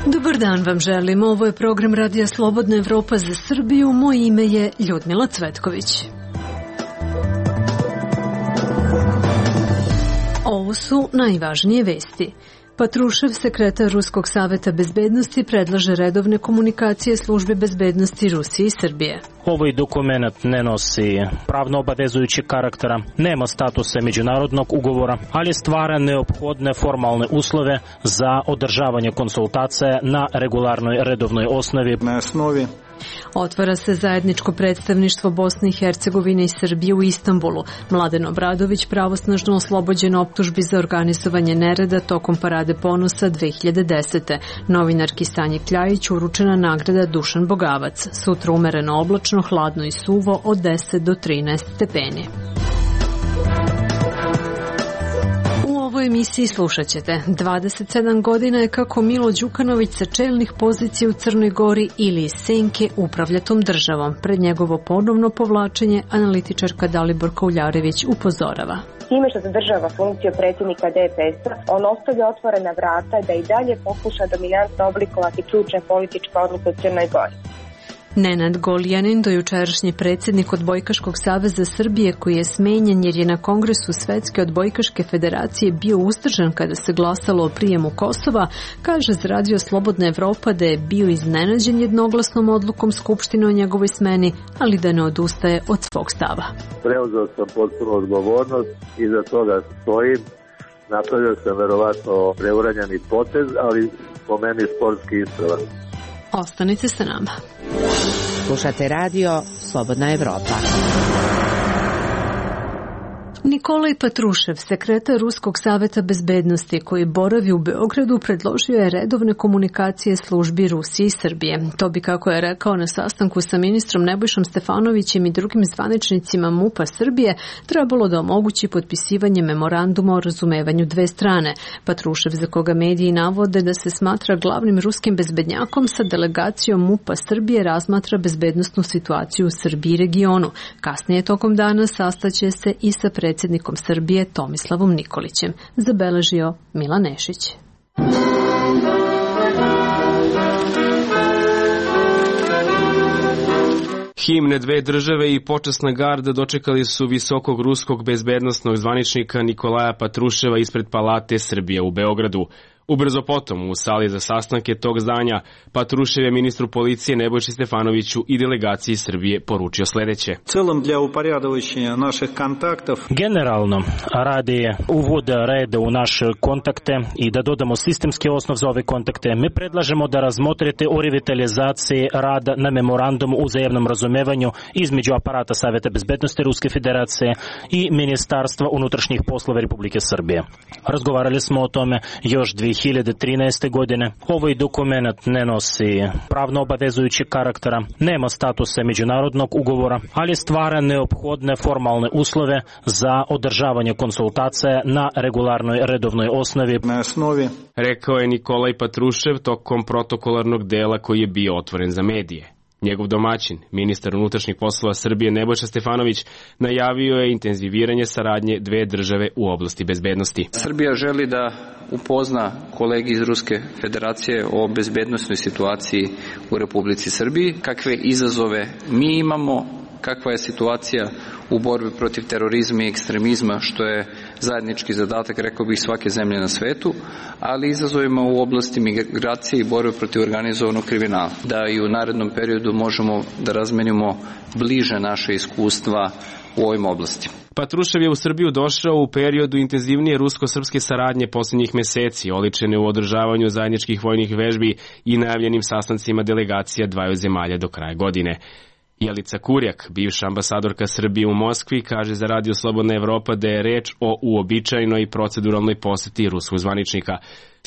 Dobar dan vam želim. Ovo je program Radija Slobodna Evropa za Srbiju. Moje ime je Ljudmila Cvetković. Ovo su najvažnije vesti. Patrušev, sekretar Ruskog saveta bezbednosti, predlaže redovne komunikacije službi bezbednosti Rusije i Srbije. Ovaj dokument ne nosi pravno obavezujući karaktera, nema statuse međunarodnog ugovora, ali stvara neophodne formalne uslove za održavanje konsultacija na regularnoj redovnoj osnovi. Na osnovi Otvara se zajedničko predstavništvo Bosne i Hercegovine i Srbije u Istanbulu. Mladen Obradović pravosnažno oslobođen optužbi za organizovanje nereda tokom Parade ponosa 2010. Novinarki Sanji Kljajić uručena nagrada Dušan Bogavac. Sutra umereno oblačno, hladno i suvo od 10 do 13 stepeni. U ovoj emisiji slušat ćete 27 godina je kako Milo Đukanović sa čelnih pozicija u Crnoj Gori ili iz senke upravlja tom državom. Pred njegovo ponovno povlačenje analitičarka Dalibor Kauljarević upozorava. Time što zadržava funkciju predsjednika DPS-a, on ostavlja otvorena vrata da i dalje pokuša dominantno oblikovati ključne političke odluke u Crnoj Gori. Nenad Goljanin, dojučerašnji predsjednik Odbojkaškog saveza Srbije, koji je smenjen jer je na Kongresu Svetske odbojkaške federacije bio uzdržan kada se glasalo o prijemu Kosova, kaže za Radio Slobodna Evropa da je bio iznenađen jednoglasnom odlukom Skupštine o njegovoj smeni, ali da ne odustaje od svog stava. Preuzeo sam potpuno odgovornost i za toga stojim. Napravio sam verovatno preuranjeni potez, ali po meni sportski ispravan. Ostanite sa nama. Slušate radio Slobodna Evropa. Nikolaj Patrušev, sekretar Ruskog saveta bezbednosti koji boravi u Beogradu, predložio je redovne komunikacije službi Rusije i Srbije. To bi, kako je rekao na sastanku sa ministrom Nebojšom Stefanovićem i drugim zvaničnicima MUP-a Srbije, trebalo da omogući potpisivanje memoranduma o razumevanju dve strane. Patrušev, za koga mediji navode da se smatra glavnim ruskim bezbednjakom, sa delegacijom MUP-a Srbije razmatra bezbednosnu situaciju u Srbiji i regionu. Kasnije tokom dana sastaće se i sa predsjednikom Srbije Tomislavom Nikolićem, zabeležio Milan Nešić. Himne dve države i počasna garda dočekali su visokog ruskog bezbednosnog zvaničnika Nikolaja Patruševa ispred Palate Srbije u Beogradu. Ubrzo potom, u sali za sastanke tog zdanja, Patrušev je ministru policije Nebojši Stefanoviću i delegaciji Srbije poručio sledeće. Generalno, radi uvoda reda u naše kontakte i da dodamo sistemski osnov za ove kontakte, mi predlažemo da razmotrite o revitalizaciji rada na memorandumu o uzajamnom razumevanju između aparata Saveta bezbednosti Ruske federacije i Ministarstva unutrašnjih poslova Republike Srbije. Razgovarali smo o tome još 2013. godine. Ovaj dokument ne nosi pravno obavezujući karaktera, nema statuse međunarodnog ugovora, ali stvara neophodne formalne uslove za održavanje konsultacija na regularnoj redovnoj osnovi. Na osnovi, rekao je Nikolaj Patrušev tokom protokolarnog dela koji je bio otvoren za medije. Njegov domaćin, ministar unutrašnjih poslova Srbije Nebojša Stefanović, najavio je intenziviranje saradnje dve države u oblasti bezbednosti. Srbija želi da upozna kolegi iz Ruske federacije o bezbednosnoj situaciji u Republici Srbiji, kakve izazove mi imamo, kakva je situacija u borbi protiv terorizma i ekstremizma, što je zajednički zadatak, rekao bih, svake zemlje na svetu, ali izazovima u oblasti migracije i borbe protiv organizovanog kriminala. Da i u narednom periodu možemo da razmenimo bliže naše iskustva u ovim oblastima. Patrušev je u Srbiju došao u periodu intenzivnije rusko-srpske saradnje posljednjih meseci, oličene u održavanju zajedničkih vojnih vežbi i najavljenim sastancima delegacija dvaju zemalja do kraja godine. Jelica Kurjak, bivša ambasadorka Srbije u Moskvi, kaže za Radio Slobodna Evropa da je reč o uobičajenoj proceduralnoj poseti ruskog zvaničnika.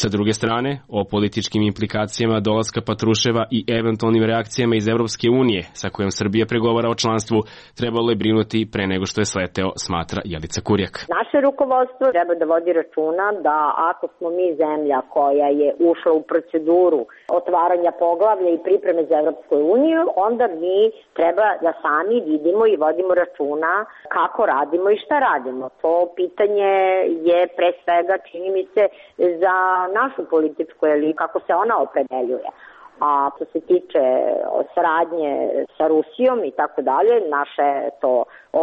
Sa druge strane, o političkim implikacijama dolaska Patruševa i eventualnim reakcijama iz Evropske unije, sa kojom Srbija pregovara o članstvu, trebalo je brinuti pre nego što je sleteo, smatra Jelica Kurjak. Naše rukovodstvo treba da vodi računa da ako smo mi zemlja koja je ušla u proceduru otvaranja poglavlja i pripreme za Evropsku uniju, onda mi treba da sami vidimo i vodimo računa kako radimo i šta radimo. To pitanje je pre svega, čini mi se, za našu političku elitu, kako se ona opredeljuje. A što se tiče saradnje sa Rusijom i tako dalje, naše to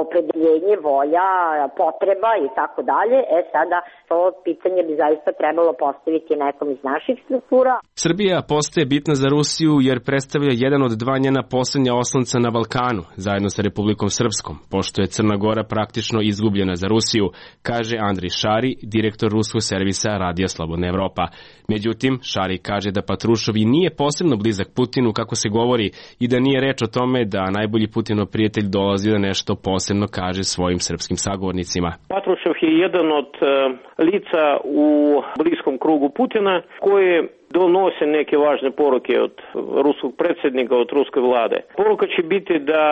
opredeljenje, volja, potreba i tako dalje, sada to pitanje bi zaista trebalo postaviti nekom iz naših struktura. Srbija postaje bitna za Rusiju jer predstavlja jedan od dva njena poslednja oslonca na Balkanu, zajedno sa Republikom Srpskom, pošto je Crna Gora praktično izgubljena za Rusiju, kaže Andrej Šari, direktor ruskog servisa Radija Slobodna Evropa. Međutim, Šari kaže da Patrušov i nije posebno blizak Putinu, kako se govori, i da nije reč o tome da najbolji Putinov prijatelj dolazi da nešto posebno kaže svojim srpskim sagovornicima. Patrušev je jedan od lica u bliskom krugu Putina koji donose neke važne poruke od ruskog predsjednika, od ruske vlade. Poruka će biti da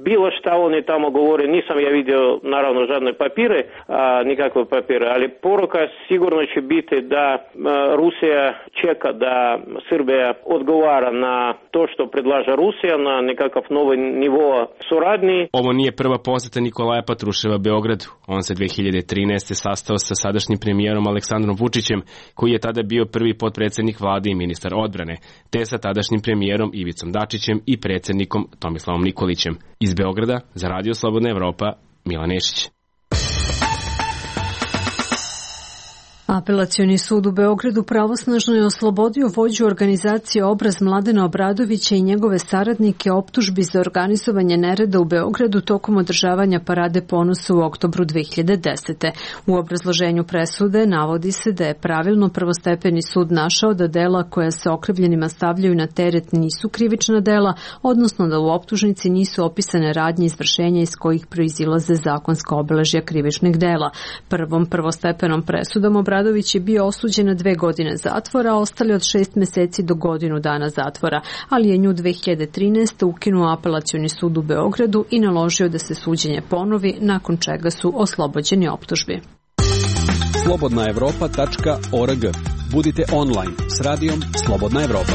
bilo šta oni tamo govore, nisam ja vidio naravno žadne papire, nikakve papire, ali poruka sigurno će biti da Rusija čeka da Srbija odgovara na to što predlaže Rusija, na nekakav novi nivo suradnji. Ovo nije prva poseta Nikolaja Patruševa Beogradu. On se 2013. sastao sa sadašnjim premijerom Aleksandrom Vučićem, koji je tada bio prvi potpredsednik vlade i ministar odbrane, te sa tadašnjim premijerom Ivicom Dačićem i predsednikom Tomislavom Nikolićem. Iz Beograda za Radio Slobodna Evropa, Milan Nešić. Apelacioni sud u Beogradu pravosnažno je oslobodio vođu organizacije Obraz Mladena Obradovića i njegove saradnike optužbi za organizovanje nereda u Beogradu tokom održavanja Parade ponosa u oktobru 2010. U obrazloženju presude navodi se da je pravilno prvostepeni sud našao da dela koja se okrivljenima stavljaju na teret nisu krivična dela, odnosno da u optužnici nisu opisane radnje izvršenja iz kojih proizilaze zakonska obeležja krivičnih dela. Prvom prvostepenom presudom Obradović je bio osuđen na 2 godine zatvora, a ostali od 6 meseci do godinu dana zatvora, ali je nju 2013. ukinuo Apelacioni sud u Beogradu i naložio da se suđenje ponovi, nakon čega su oslobođeni optužbi. slobodnaevropa.org. Budite online s radijom Slobodna Evropa.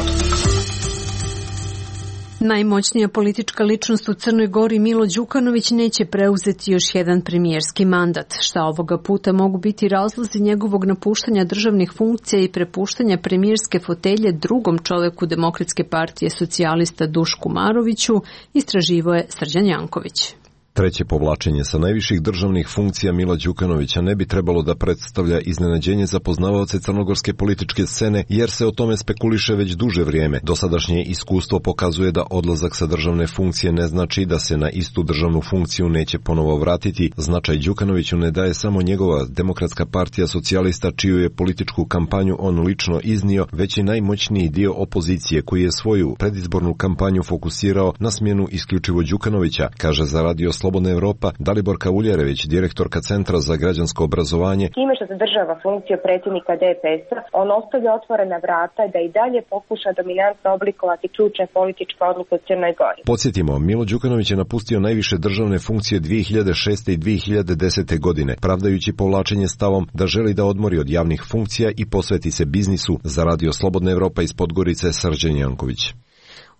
Najmoćnija politička ličnost u Crnoj Gori Milo Đukanović neće preuzeti još jedan premijerski mandat. Šta ovoga puta mogu biti razlozi njegovog napuštanja državnih funkcija i prepuštanja premijerske fotelje drugom čoveku Demokratske partije socijalista Dušku Maroviću, istraživao je Srđan Janković. Treće povlačenje sa najviših državnih funkcija Mila Đukanovića ne bi trebalo da predstavlja iznenađenje za poznavaoce crnogorske političke scene, jer se o tome spekuliše već duže vrijeme. Dosadašnje iskustvo pokazuje da odlazak sa državne funkcije ne znači da se na istu državnu funkciju neće ponovo vratiti. Značaj Đukanoviću ne daje samo njegova Demokratska partija socijalista, čiju je političku kampanju on lično iznio, već i najmoćniji dio opozicije koji je svoju predizbornu kampanju fokusirao na smjenu isključivo Đukanovića, kaže za Radio Slobodna Evropa Daliborka Uljerević, direktorka Centra za građansko obrazovanje. Time što zadržava funkciju predsjednika DPS-a, on ostavlja otvorena vrata da i dalje pokuša dominantno oblikovati ključne političke odluke u Crnoj Gori. Podsjetimo, Milo Đukanović je napustio najviše državne funkcije 2006. i 2010. godine, pravdajući povlačenje stavom da želi da odmori od javnih funkcija i posveti se biznisu. Za Radio Slobodna Evropa iz Podgorice, Srđan Janković.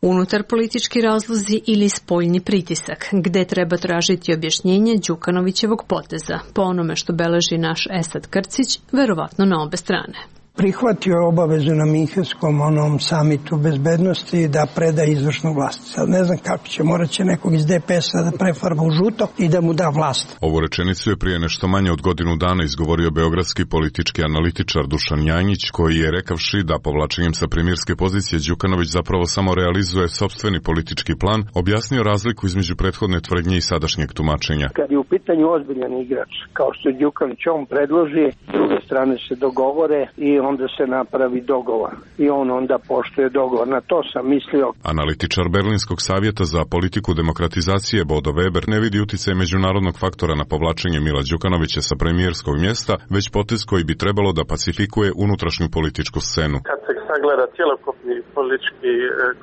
Unutar politički razlozi ili spoljni pritisak, gde treba tražiti objašnjenje Đukanovićevog poteza. Po onome što beleži naš Esad Krcić, verovatno na obe strane. Prihvatio je obavezu na Minhenskom onom samitu bezbednosti da preda izvršnu vlast. Sad ne znam kako će, morat će nekog iz DPS-a da prefarba u žuto i da mu da vlast. Ovu rečenicu je prije nešto manje od godinu dana izgovorio beogradski politički analitičar Dušan Janjić, koji je rekavši da povlačenjem sa premijerske pozicije Đukanović zapravo samo realizuje sopstveni politički plan, objasnio razliku između prethodne tvrdnje i sadašnjeg tumačenja. Kad je u pitanju ozbiljan igrač, kao što je Đukanović, on predloži, s druge strane se dogovore i onda se napravi dogovor i on onda poštuje dogovor. Na to sam mislio. Analitičar Berlinskog savjeta za politiku demokratizacije Bodo Weber ne vidi uticaj međunarodnog faktora na povlačenje Mila Đukanovića sa premijerskog mjesta, već potez koji bi trebalo da pacifikuje unutrašnju političku scenu. Kad se sagleda cjelokupni politički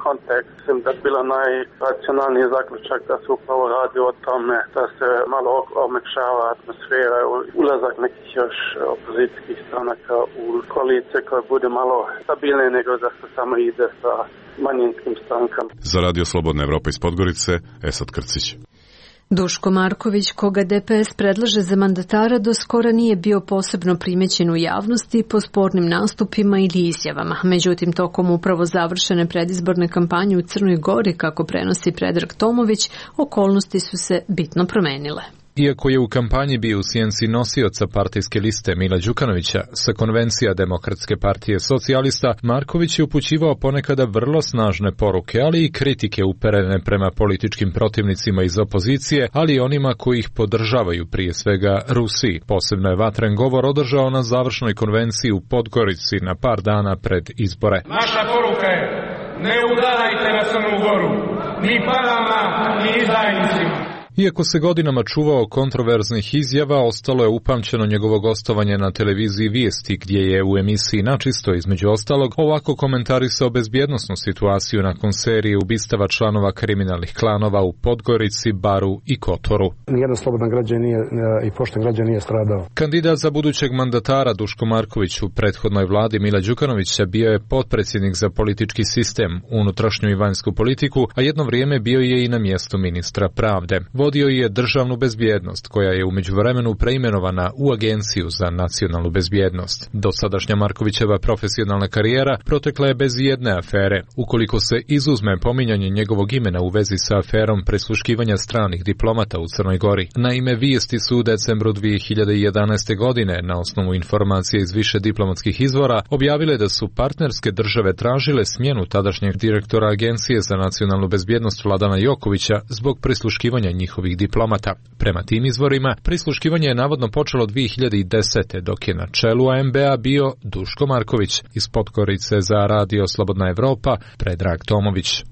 kontekst, mislim da je bilo najracionalniji zaključak da se upravo radi o tome da se malo omekšava atmosfera, ulazak nekih još opozicijskih stranaka u koalicije koja bude malo stabilnije nego da se samo ide sa manjinskim strankama. Za Radio Slobodna Evropa iz Podgorice, Esad Krcić. Duško Marković, koga DPS predlaže za mandatara, do skora nije bio posebno primećen u javnosti po spornim nastupima ili izjavama. Međutim, tokom upravo završene predizborne kampanje u Crnoj Gori, kako prenosi Predrag Tomović, okolnosti su se bitno promenile. Iako je u kampanji bio u sjenci nosioca partijske liste Mila Đukanovića sa konvencija Demokratske partije socijalista, Marković je upućivao ponekada vrlo snažne poruke, ali i kritike uperene prema političkim protivnicima iz opozicije, ali i onima koji ih podržavaju, prije svega Rusiji. Posebno je vatren govor održao na završnoj konvenciji u Podgorici na par dana pred izbore. Naša poruka je: ne udarajte na Crnu Goru, ni parama, ni izdajnicima. Iako se godinama čuvao kontroverznih izjava, ostalo je upamćeno njegovo gostovanje na televiziji Vijesti, gdje je u emisiji Načisto, između ostalog, ovako komentarisao bezbjednosnu situaciju nakon serije ubistava članova kriminalnih klanova u Podgorici, Baru i Kotoru. Nijedan slobodan građanin i pošten građanin nije stradao. Kandidat za budućeg mandatara Duško Marković u prethodnoj vladi Mila Đukanovića bio je potpredsjednik za politički sistem, unutrašnju i vanjsku politiku, a jedno vrijeme bio je i na mjestu ministra pravde. Vodio je državnu bezbjednost, koja je u međuvremenu preimenovana u Agenciju za nacionalnu bezbjednost. Dosadašnja Markovićeva profesionalna karijera protekla je bez jedne afere, ukoliko se izuzme pominjanje njegovog imena u vezi sa aferom prisluškivanja stranih diplomata u Crnoj Gori. Naime, Vijesti su u decembru 2011. godine, na osnovu informacije iz više diplomatskih izvora, objavile da su partnerske države tražile smjenu tadašnjeg direktora Agencije za nacionalnu bezbjednost Vladana Jokovića zbog prisluškivanja njihovih diplomata. Prema tim izvorima, prisluškivanje je navodno počelo 2010. dok je na čelu AMB-a bio Duško Marković. Iz Podgorice za Radio Slobodna Evropa, Predrag Tomović.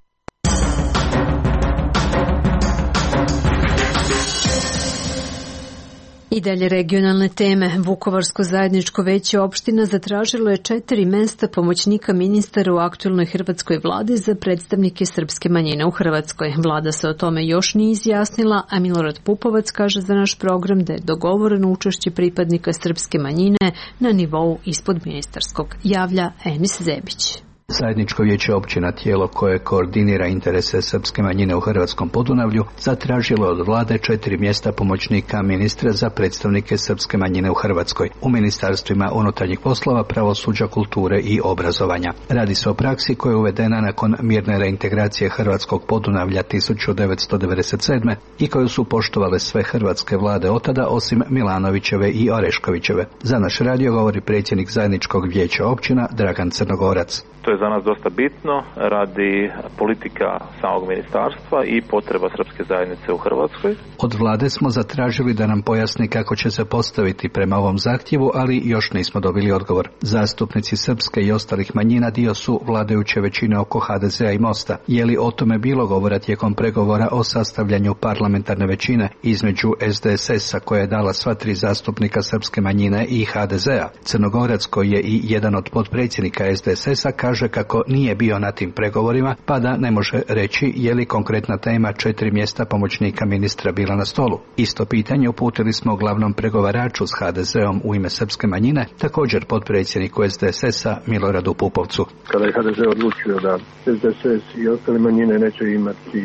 I dalje regionalne teme. Vukovarsko zajedničko veće opština zatražilo je 4 mjesta pomoćnika ministara u aktualnoj hrvatskoj vladi za predstavnike srpske manjine u Hrvatskoj. Vlada se o tome još nije izjasnila, a Milorad Pupovac kaže za naš program da je dogovoreno učešće pripadnika srpske manjine na nivou ispod ministarskog. Javlja Enis Zebić. Zajedničko vijeće općina, tijelo koje koordinira interese srpske manjine u Hrvatskom Podunavlju, zatražilo od vlade 4 mjesta pomoćnika ministra za predstavnike srpske manjine u Hrvatskoj u ministarstvima unutarnjih poslova, pravosuđa, kulture i obrazovanja. Radi se o praksi koja je uvedena nakon mirne reintegracije Hrvatskog Podunavlja 1997. i koju su poštovale sve hrvatske vlade otada osim Milanovićeve i Oreškovićeve. Za naš radio govori predsjednik Zajedničkog vijeća općina Dragan Crnogorac. To je za nas dosta bitno radi politika samog ministarstva i potreba srpske zajednice u Hrvatskoj. Od vlade smo zatražili da nam pojasni kako će se postaviti prema ovom zahtjevu, ali još nismo dobili odgovor. Zastupnici srpske i ostalih manjina dio su vladajuće većine oko HDZ-a i Mosta. Je li o tome bilo govora tijekom pregovora o sastavljanju parlamentarne većine između SDSS-a koja je dala sva 3 zastupnika srpske manjine i HDZ-a? Crnogorac, koji je i jedan od potpredsjednika SDSS-a, kaže kako nije bio na tim pregovorima, pa da ne može reći je li konkretna tema 4 mjesta pomoćnika ministra bila na stolu. Isto pitanje uputili smo glavnom pregovaraču s HDZ-om u ime srpske manjine, također potpredsjedniku SDSS-a Miloradu Pupovcu. Kada je HDZ odlučio da SDSS i ostale manjine neće imati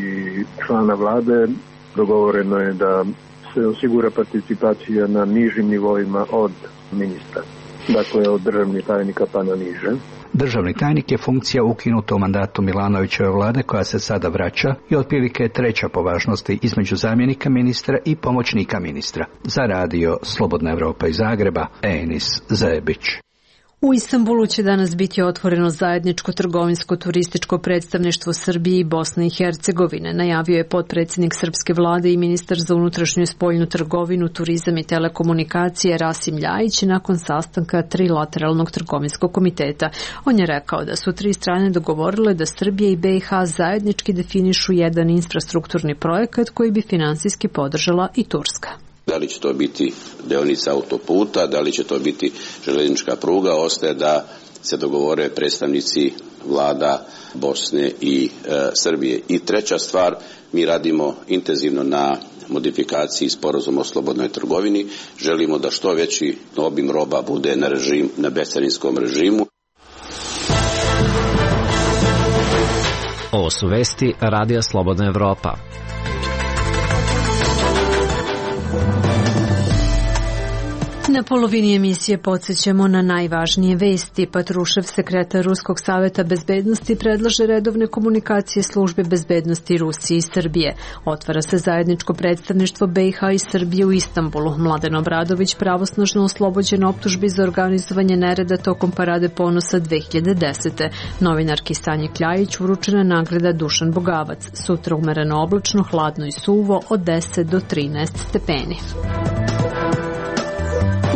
člana vlade, dogovoreno je da se osigura participacija na nižim nivoima od ministra. Dakle, od državnih tajnika pa na niže. Državni tajnik je funkcija ukinuta u mandatu Milanovićeve vlade koja se sada vraća i otprilike je 3. po važnosti između zamjenika ministra i pomoćnika ministra. Za radio Slobodna Evropa iz Zagreba, Enis Zebić. U Istanbulu će danas biti otvoreno zajedničko trgovinsko-turističko predstavništvo Srbije i Bosne i Hercegovine, najavio je potpredsjednik srpske vlade i ministar za unutrašnju i spoljnu trgovinu, turizam i telekomunikacije Rasim Ljajić nakon sastanka trilateralnog trgovinskog komiteta. On je rekao da su tri strane dogovorile da Srbija i BiH zajednički definišu jedan infrastrukturni projekat koji bi finansijski podržala i Turska. Da li će to biti deonica autoputa, da li će to biti željeznička pruga, ostaje da se dogovore predstavnici vlada Bosne i Srbije. I treća stvar, mi radimo intenzivno na modifikaciji sporazuma o slobodnoj trgovini. Želimo da što veći obim roba bude na bescarinskom režimu. Ovo su vesti Radija Slobodna Evropa. Na polovini emisije podsjećamo na najvažnije vesti. Patrušev, sekretar Ruskog saveta bezbednosti, predlaže redovne komunikacije službe bezbednosti Rusije i Srbije. Otvara se zajedničko predstavništvo BiH i Srbije u Istanbulu. Mladen Obradović pravosnažno oslobođen optužbi za organizovanje nereda tokom Parade ponosa 2010. Novinarki Sanji Kljajić uručena nagrada Dušan Bogavac. Sutra umereno oblačno, hladno i suvo od 10 do 13 stepeni.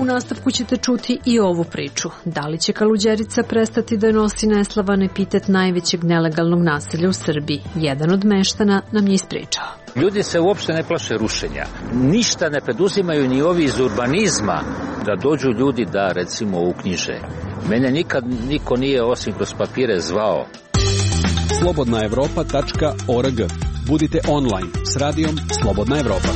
U nastavku ćete čuti i ovu priču. Da li će Kaluđerica prestati da nosi neslavan epitet najvećeg nelegalnog naselja u Srbiji? Jedan od meštana nam je ispričao. Ljudi se uopšte ne plaše rušenja. Ništa ne preduzimaju ni ovi iz urbanizma da dođu ljudi da recimo uknjiže. Mene nikad niko nije osim kroz papire zvao. Slobodnaevropa.org. Budite online s radijom Slobodna Evropa.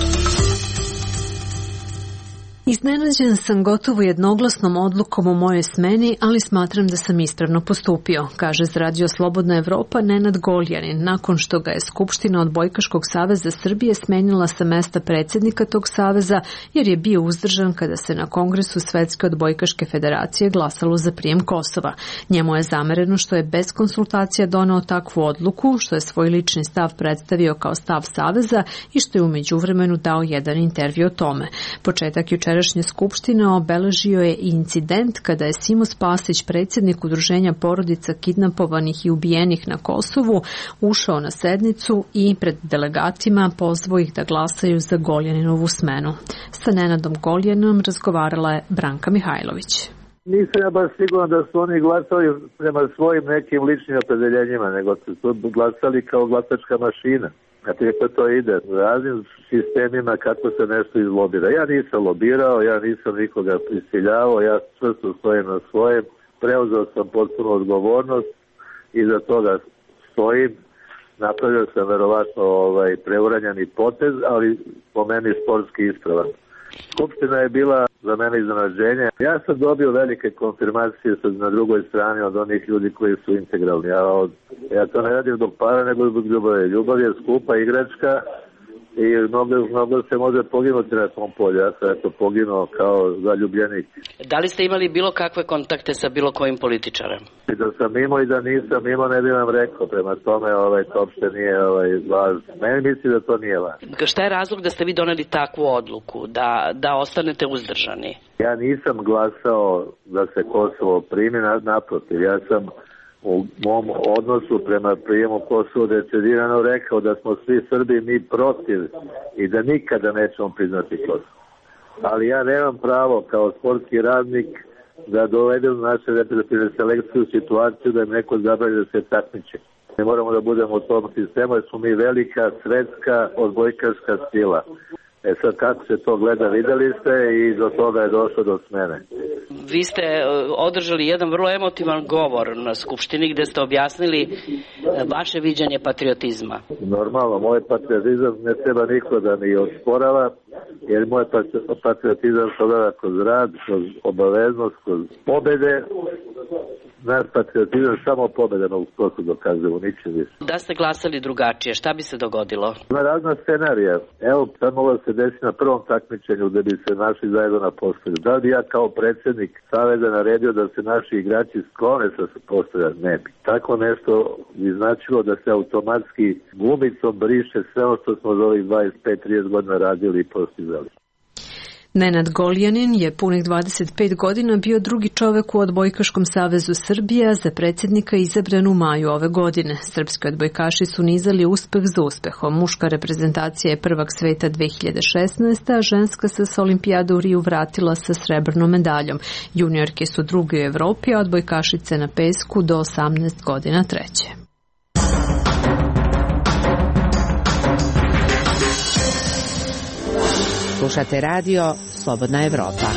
Iznenađen sam gotovo jednoglasnom odlukom o mojoj smeni, ali smatram da sam ispravno postupio, kaže za Radio Slobodna Evropa Nenad Goljanin, nakon što ga je Skupština Odbojkaškog saveza Srbije smenila sa mesta predsjednika tog saveza, jer je bio uzdržan kada se na Kongresu Svetske odbojkaške federacije glasalo za prijem Kosova. Njemu je zamereno što je bez konsultacija doneo takvu odluku, što je svoj lični stav predstavio kao stav saveza i što je u međuvremenu dao jedan intervju o tome. Početak jučerašnje skupštine obeležio je i incident kada je Simo Spasić, predsjednik udruženja porodica kidnapovanih i ubijenih na Kosovu, ušao na sednicu i pred delegatima pozvao ih da glasaju za Goljaninovu smenu. Sa Nenadom Goljaninom razgovarala je Branka Mihajlović. Nisam ja baš siguran da su oni glasali prema svojim nekim ličnim opredeljenjima, nego su glasali kao glasačka mašina. Znate kako to ide, u raznim sistemima kako se nešto izlobira. Ja nisam lobirao, ja nisam nikoga prisiljavao, ja čvrsto stojim na svojem, preuzeo sam potpuno odgovornost i za toga stojim. Napravio sam verovatno preuranjeni potez, ali po meni sportski ispravan. Skupština je bila za mene iznenađenje. Ja sam dobio velike konfirmacije na drugoj strani od onih ljudi koji su integralni. Ja to ne radim zbog para, nego zbog ljubavi. Ljubav je skupa igračka i mnogo se može poginuti na tom polju. Ja sam poginuo kao zaljubljenik. Da li ste imali bilo kakve kontakte sa bilo kojim političarem? I da sam imao i da nisam imao, ne bih vam rekao. Prema tome to uopšte nije važno. Meni misli da to nije važno. Šta je razlog da ste vi doneli takvu odluku, da ostanete uzdržani? Ja nisam glasao da se Kosovo primi, naprotiv. Ja sam u mom odnosu prema prijemu Kosovo decidirano rekao da smo svi Srbi mi protiv i da nikada nećemo priznati Kosovo. Ali ja nemam pravo kao sportski radnik da dovedem naše reprezentativne selekcije u situaciju da im neko zabrani da se takmiče. Ne moramo da budemo u tom sistemu jer smo mi velika svetska odbojkaška sila. Sad kako se to gleda, videli ste i do toga je došlo do smene. Vi ste održali jedan vrlo emotivan govor na Skupštini gde ste objasnili vaše viđanje patriotizma. Normalno, moj patriotizam ne treba niko da mi osporava, jer moj patriotizam se ogleda kroz rad, kroz obaveznost, kroz pobede. Naš patriotizam samo pobeda na uskoku dokazujemo, ničem više. Da ste glasali drugačije, šta bi se dogodilo? Ima razna scenarija. Evo, sad moglo se desi na prvom takmičenju da bi se našli zajedno na postolju. Da li ja kao predsjednik saveza naredio da se naši igrači sklone sa postolja? Ne bi. Tako nešto bi značilo da se automatski gumicom briše sve ono što smo za ovih 25-30 godina radili i postizali. Nenad Goljanin je punih 25 godina bio drugi čovek u Odbojkaškom savezu Srbije, a za predsjednika izabran u maju ove godine. Srpski odbojkaši su nizali uspeh za uspehom. Muška reprezentacija je prvak sveta 2016, a ženska se s olimpijade u Riju vratila sa srebrnom medaljom. Juniorke su drugi u Evropi, a odbojkašice na pesku do 18 godina treće. Slušate radio Slobodna Evropa.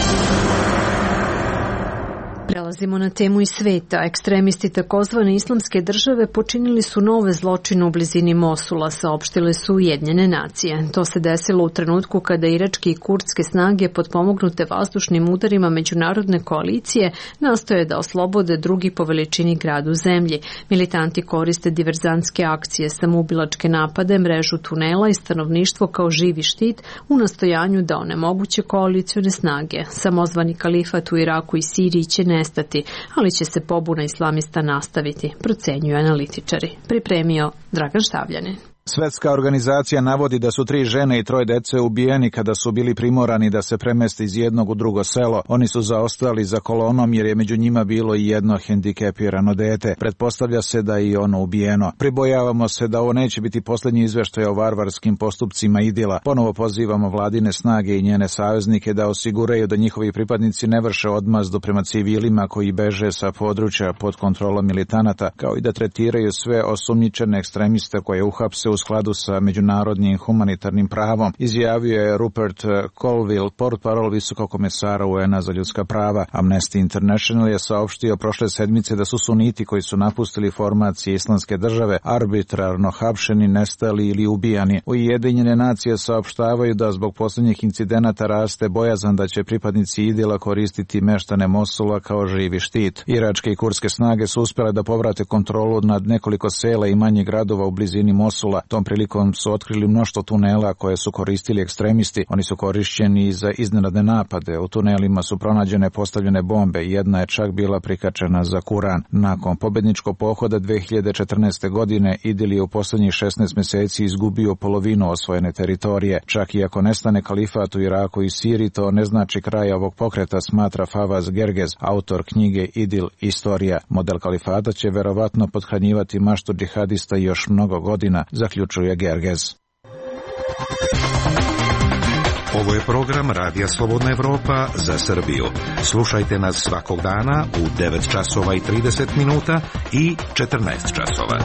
Prelazimo na temu iz sveta. Ekstremisti takozvane islamske države počinili su nove zločine u blizini Mosula, saopštile su Ujedinjene nacije. To se desilo u trenutku kada iračke i kurdske snage potpomognute vazdušnim udarima međunarodne koalicije nastoje da oslobode drugi po veličini grad u zemlji. Militanti koriste diverzantske akcije, samoubilačke napade, mrežu tunela i stanovništvo kao živi štit u nastojanju da onemoguće koalicione snage. Samozvani kalifat u Iraku i Siriji će nestati, ali će se pobuna islamista nastaviti, procenjuju analitičari. Pripremio Dragan Štavljanin. Svetska organizacija navodi da su 3 žene i 3 dece ubijeni kada su bili primorani da se premeste iz jednog u drugo selo. Oni su zaostali za kolonom jer je među njima bilo i jedno hendikepirano dete. Pretpostavlja se da je i ono ubijeno. Pribojavamo se da ovo neće biti posljednji izveštaj o varvarskim postupcima IDIL-a. Ponovo pozivamo vladine snage i njene saveznike da osiguraju da njihovi pripadnici ne vrše odmazdu prema civilima koji beže sa područja pod kontrolom militanata, kao i da tretiraju sve osumnjičene ekstremiste koje uhapse u skladu sa međunarodnim humanitarnim pravom, izjavio je Rupert Colville, portparol visokog komesara UN-a za ljudska prava. Amnesty International je saopštio prošle sedmice da su suniti koji su napustili formacije Islamske države arbitrarno hapšeni, nestali ili ubijani. Ujedinjene nacije saopštavaju da zbog posljednjih incidenata raste bojazan da će pripadnici IDIL-a koristiti meštane Mosula kao živi štit. Iračke i kurdske snage su uspjele da povrate kontrolu nad nekoliko sela i manjih gradova u blizini Mosula. Tom prilikom su otkrili mnoštvo tunela koje su koristili ekstremisti. Oni su korišćeni za iznenadne napade. U tunelima su pronađene postavljene bombe. Jedna je čak bila prikačena za Kuran. Nakon pobedničkog pohoda 2014. godine IDIL je u posljednjih 16 mjeseci izgubio polovinu osvojene teritorije. Čak i ako nestane kalifat u Iraku i Siriji, to ne znači kraj ovog pokreta, smatra Fawaz Gergez, autor knjige IDIL Istorija. Model kalifata će verovatno pothranjivati maštu džihadista još mnogo godina, zaključuje Gergez. Ovo je program Radija Slobodna Evropa za Srbiju. Slušajte nas svakog dana u 9 časova i 30 minuta i 14 časova.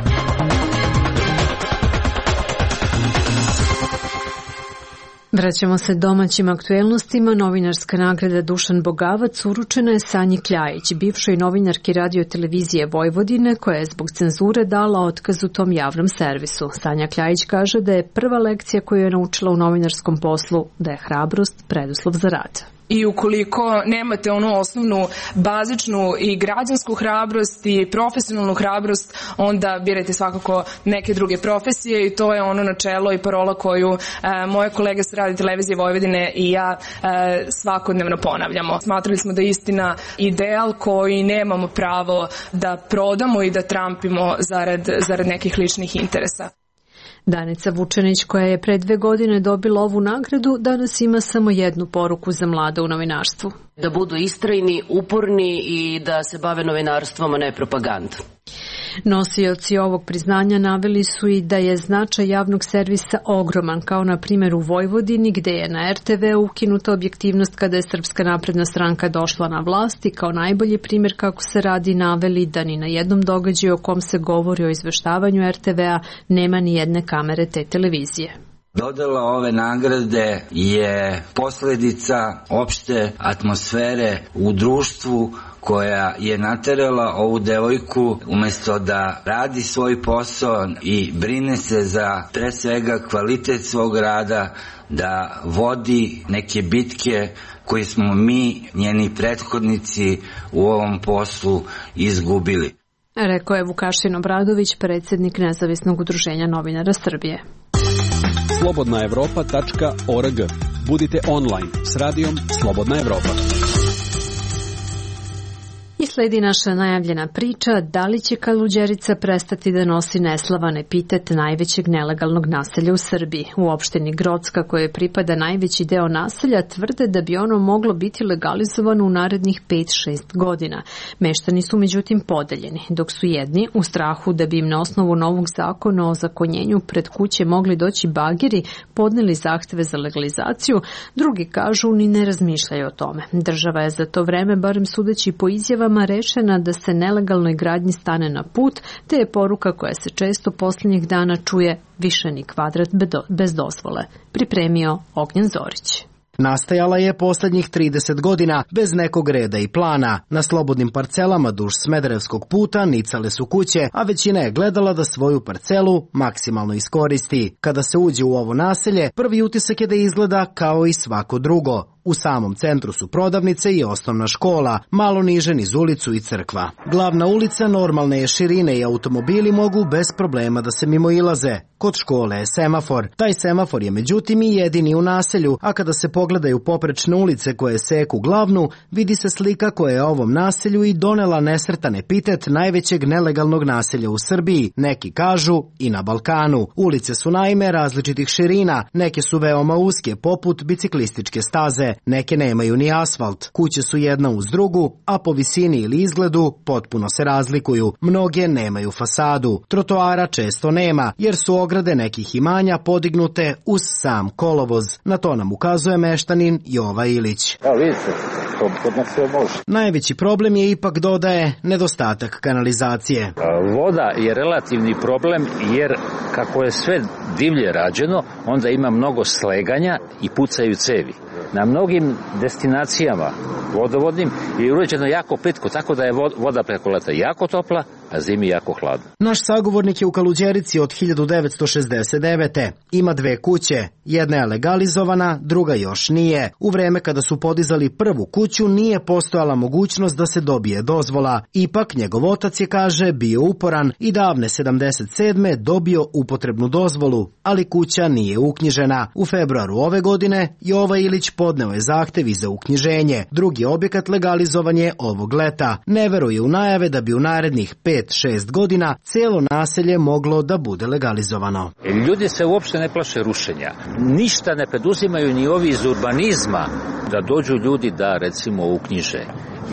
Vraćamo se domaćim aktuelnostima. Novinarska nagrada Dušan Bogavac uručena je Sanji Kljajić, bivšoj novinarki Radio televizije Vojvodine, koja je zbog cenzure dala otkaz u tom javnom servisu. Sanja Kljajić kaže da je prva lekcija koju je naučila u novinarskom poslu da je hrabrost preduslov za rad. I ukoliko nemate onu osnovnu, bazičnu i građansku hrabrost i profesionalnu hrabrost, onda birajte svakako neke druge profesije i to je ono načelo i parola koju moje kolege sa Radio televizije Vojvodine i ja svakodnevno ponavljamo. Smatrali smo da je istina ideal koji nemamo pravo da prodamo i da trampimo zarad nekih ličnih interesa. Danica Vučenić, koja je pre 2 godine dobila ovu nagradu, danas ima samo jednu poruku za mlade u novinarstvu. Da budu istrajni, uporni i da se bave novinarstvom, a ne propagandom. Nosioci ovog priznanja naveli su i da je značaj javnog servisa ogroman, kao na primjer u Vojvodini, gde je na RTV ukinuta objektivnost kada je Srpska napredna stranka došla na vlast i kao najbolji primjer kako se radi naveli da ni na jednom događaju o kom se govori o izveštavanju RTV-a nema ni jedne kamere te televizije. Dodela ove nagrade je posljedica opšte atmosfere u društvu koja je naterala ovu devojku umjesto da radi svoj posao i brine se za pre svega kvalitet svog rada, da vodi neke bitke koje smo mi, njeni prethodnici u ovom poslu izgubili. Rekao je Vukašin Obradović, predsjednik Nezavisnog udruženja novinara Srbije. slobodnaevropa.org. Budite online s radijom Slobodna Evropa. I sledi naša najavljena priča da li će Kaluđerica prestati da nosi neslavan epitet najvećeg nelegalnog naselja u Srbiji. U opštini Grocka, koje pripada najveći deo naselja, tvrde da bi ono moglo biti legalizovano u narednih 5-6 godina. Meštani su međutim podeljeni, dok su jedni u strahu da bi im na osnovu novog zakona o zakonjenju pred kuće mogli doći bageri, podneli zahteve za legalizaciju, drugi kažu ni ne razmišljaju o tome. Država je za to vreme, barem sudeći po izjavama, rešena da se nelegalnoj gradnji stane na put, te je poruka koja se često posljednjih dana čuje više ni kvadrat bez dozvole. Pripremio Ognjen Zorić. Nastajala je posljednjih 30 godina bez nekog reda i plana. Na slobodnim parcelama duž Smederevskog puta nicale su kuće, a većina je gledala da svoju parcelu maksimalno iskoristi. Kada se uđe u ovo naselje, prvi utisak je da izgleda kao i svako drugo. U samom centru su prodavnice i osnovna škola, malo niže niz ulicu i crkva. Glavna ulica normalne je širine i automobili mogu bez problema da se mimoilaze. Kod škole je semafor. Taj semafor je međutim i jedini u naselju, a kada se pogledaju poprečne ulice koje seku glavnu, vidi se slika koja je ovom naselju i donela nesretan epitet najvećeg nelegalnog naselja u Srbiji, neki kažu i na Balkanu. Ulice su naime različitih širina, neke su veoma uske poput biciklističke staze, neke nemaju ni asfalt, kuće su jedna uz drugu, a po visini ili izgledu potpuno se razlikuju. Mnoge nemaju fasadu, trotoara često nema, jer su ograde nekih imanja podignute uz sam kolovoz. Na to nam ukazuje meštanin Jova Ilić. Vidite, kod nas sve može. Najveći problem je ipak, dodaje, nedostatak kanalizacije. Voda je relativni problem jer kako je sve divlje rađeno, onda ima mnogo sleganja i pucaju cevi. Na mnogim destinacijama vodovodnim je uređeno jako plitko, tako da je voda preko leta jako topla, a zimi jako hladna. Naš sagovornik je u Kaluđerici od 1969. Ima 2 kuće. Jedna je legalizovana, druga još nije. U vreme kada su podizali prvu kuću nije postojala mogućnost da se dobije dozvola. Ipak njegov otac je, kaže, bio uporan i davne 77. dobio upotrebnu dozvolu, ali kuća nije uknjižena. U februaru ove godine Jova Ilić podneo je zahtev i za uknjiženje. Drugi objekat legalizovan je ovog leta. Ne veruje u najave da bi u narednih 5-6 godina cijelo naselje moglo da bude legalizovano. Ljudi se uopšte ne plaše rušenja. Ništa ne preduzimaju ni ovi iz urbanizma da dođu ljudi da recimo uknjiže.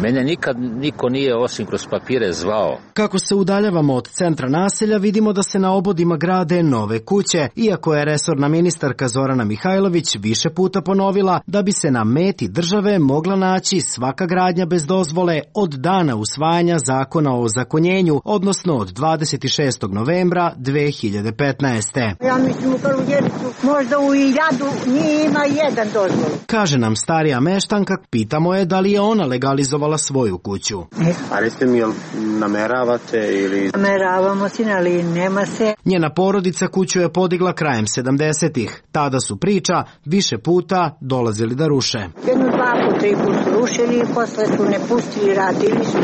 Mene nikad niko nije osim kroz papire zvao. Kako se udaljavamo od centra naselja, vidimo da se na obodima grade nove kuće, iako je resorna ministarka Zorana Mihajlović više puta ponovila da bi se na meti države mogla naći svaka gradnja bez dozvole od dana usvajanja zakona o ozakonjenju, odnosno od 26. novembra 2015. Ja mislim u Kaluđericu, možda u Iljadu nije ima jedan dozvol. Kaže nam starija meštanka, pitamo je da li je ona legalizovala svoju kuću. A recite mi, jel nameravate ili... Nameravamo se, ali nema se. Njena porodica kuću je podigla krajem 70-ih. Tada su, priča, više puta dolazili da ruše. 1, 2, 3 puta su rušili i posle su ne pustili, radili su.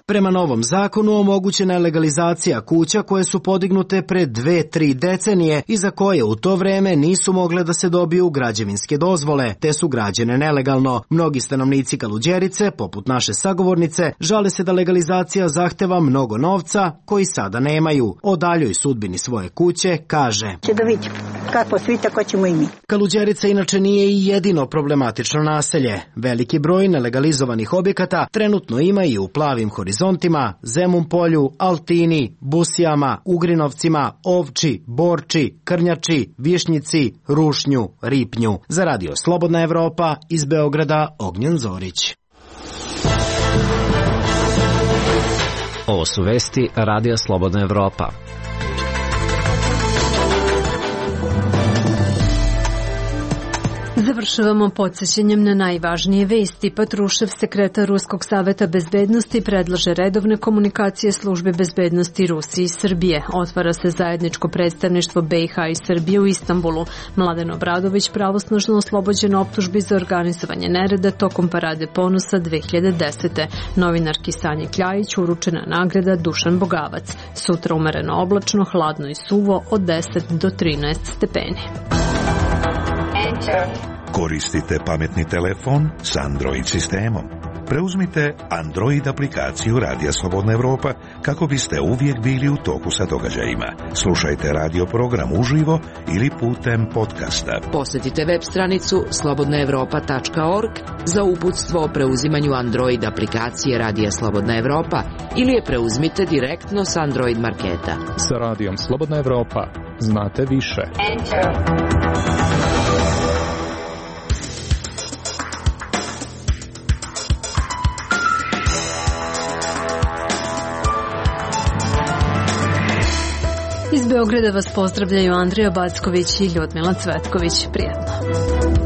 Prema novom zakonu omogućena je legalizacija kuća koje su podignute pre 2-3 decenije i za koje u to vreme nisu mogle da se dobiju građevinske dozvole, te su građene nelegalno. Mnogi stanovnici Kaluđerice, poput naše sagovornice, žale se da legalizacija zahteva mnogo novca koji sada nemaju. O daljoj sudbini svoje kuće kaže: Će da vidimo kako svi, tako ćemo i mi. Kaluđerica inače nije i jedino problematično naselje. Veliki broj nelegalizovanih objekata trenutno ima i u Plavim horizontima, Zemun polju, Altini, Busijama, Ugrinovcima, Ovči, Borči, Krnjači, Višnjici, Rušnju, Ripnju. Za radio Slobodna Evropa, iz Beograda, Ognjen Zorić. Ovo su vesti Radija Slobodna Evropa. Završavamo podsjećanjem na najvažnije vesti. Patrušev, sekretar Ruskog saveta bezbednosti, predlaže redovne komunikacije službe bezbednosti Rusije i Srbije. Otvara se zajedničko predstavništvo BiH i Srbije u Istanbulu. Mladen Obradović pravosnažno oslobođen optužbi za organizovanje nereda tokom Parade ponosa 2010. Novinarki Sanji Kljajić uručena nagrada Dušan Bogavac. Sutra umereno oblačno, hladno i suvo od 10 do 13 stepeni. Koristite pametni telefon s Android sistemom. preuzmite Android aplikaciju Radija Slobodna Evropa kako biste uvijek bili u toku sa događajima. Slušajte radio program uživo ili putem podcasta. Posjetite web stranicu slobodnaevropa.org za uputstvo o preuzimanju Android aplikacije Radija Slobodna Evropa ili je preuzmite direktno s Android marketa. Sa Radijom Slobodna Evropa znate više. Iz Beograda vas pozdravljaju Andrija Backović i Ljudmila Cvetković. Prijetno.